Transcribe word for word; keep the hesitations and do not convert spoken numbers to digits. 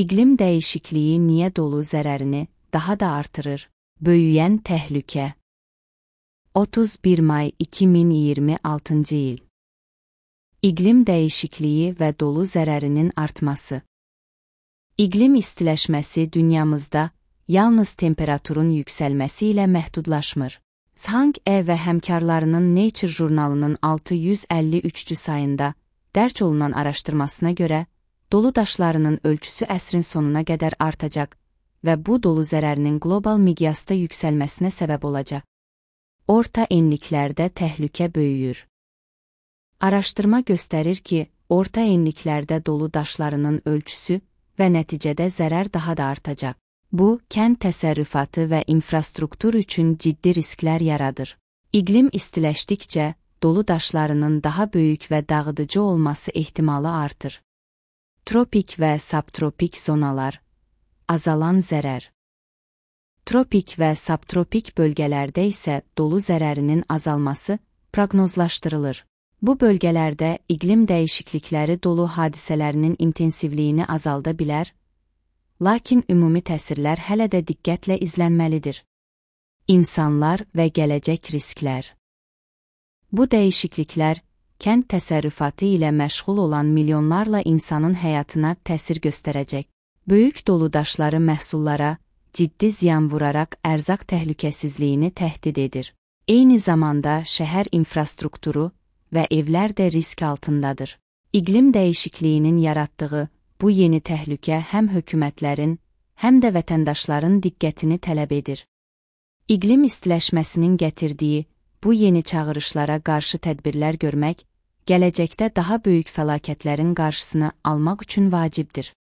İqlim dəyişikliyi niyə dolu zərərini daha da artırır? Böyüyən təhlükə. otuz bir may iki min iyirmi altıncı il. İqlim dəyişikliyi və dolu zərərinin artması. İqlim istiləşməsi dünyamızda yalnız temperaturun yüksəlməsi ilə məhdudlaşmır. Zhang E və həmkarlarının Nature jurnalının altı yüz əlli üçüncü sayında dərc olunan araşdırmasına görə, dolu daşlarının ölçüsü əsrin sonuna qədər artacaq və bu dolu zərərinin qlobal miqyasda yüksəlməsinə səbəb olacaq. Orta enliklərdə təhlükə böyüyür. Araşdırma göstərir ki, orta enliklərdə dolu daşlarının ölçüsü və nəticədə zərər daha da artacaq. Bu, kənd təsərrüfatı və infrastruktur üçün ciddi risklər yaradır. İqlim istiləşdikcə, dolu daşlarının daha böyük və dağıdıcı olması ehtimalı artır. Tropik və subtropik zonalar. Azalan zərər. Tropik və subtropik bölgələrdə isə dolu zərərinin azalması proqnozlaşdırılır. Bu bölgələrdə iqlim dəyişiklikləri dolu hadisələrinin intensivliyini azalda bilər, lakin ümumi təsirlər hələ də diqqətlə izlənməlidir. İnsanlar və gələcək risklər. Bu dəyişikliklər, kənd təsərrüfatı ilə məşğul olan milyonlarla insanın həyatına təsir göstərəcək. Böyük dolu daşları məhsullara ciddi ziyan vuraraq ərzaq təhlükəsizliyini təhdid edir. Eyni zamanda şəhər infrastrukturu və evlər də risk altındadır. İqlim dəyişikliyinin yaratdığı bu yeni təhlükə həm hökumətlərin, həm də vətəndaşların diqqətini tələb edir. İqlim istiləşməsinin gətirdiyi bu yeni çağırışlara qarşı tədbirlər görmək, gələcəkdə daha böyük fəlakətlərin qarşısını almaq üçün vacibdir.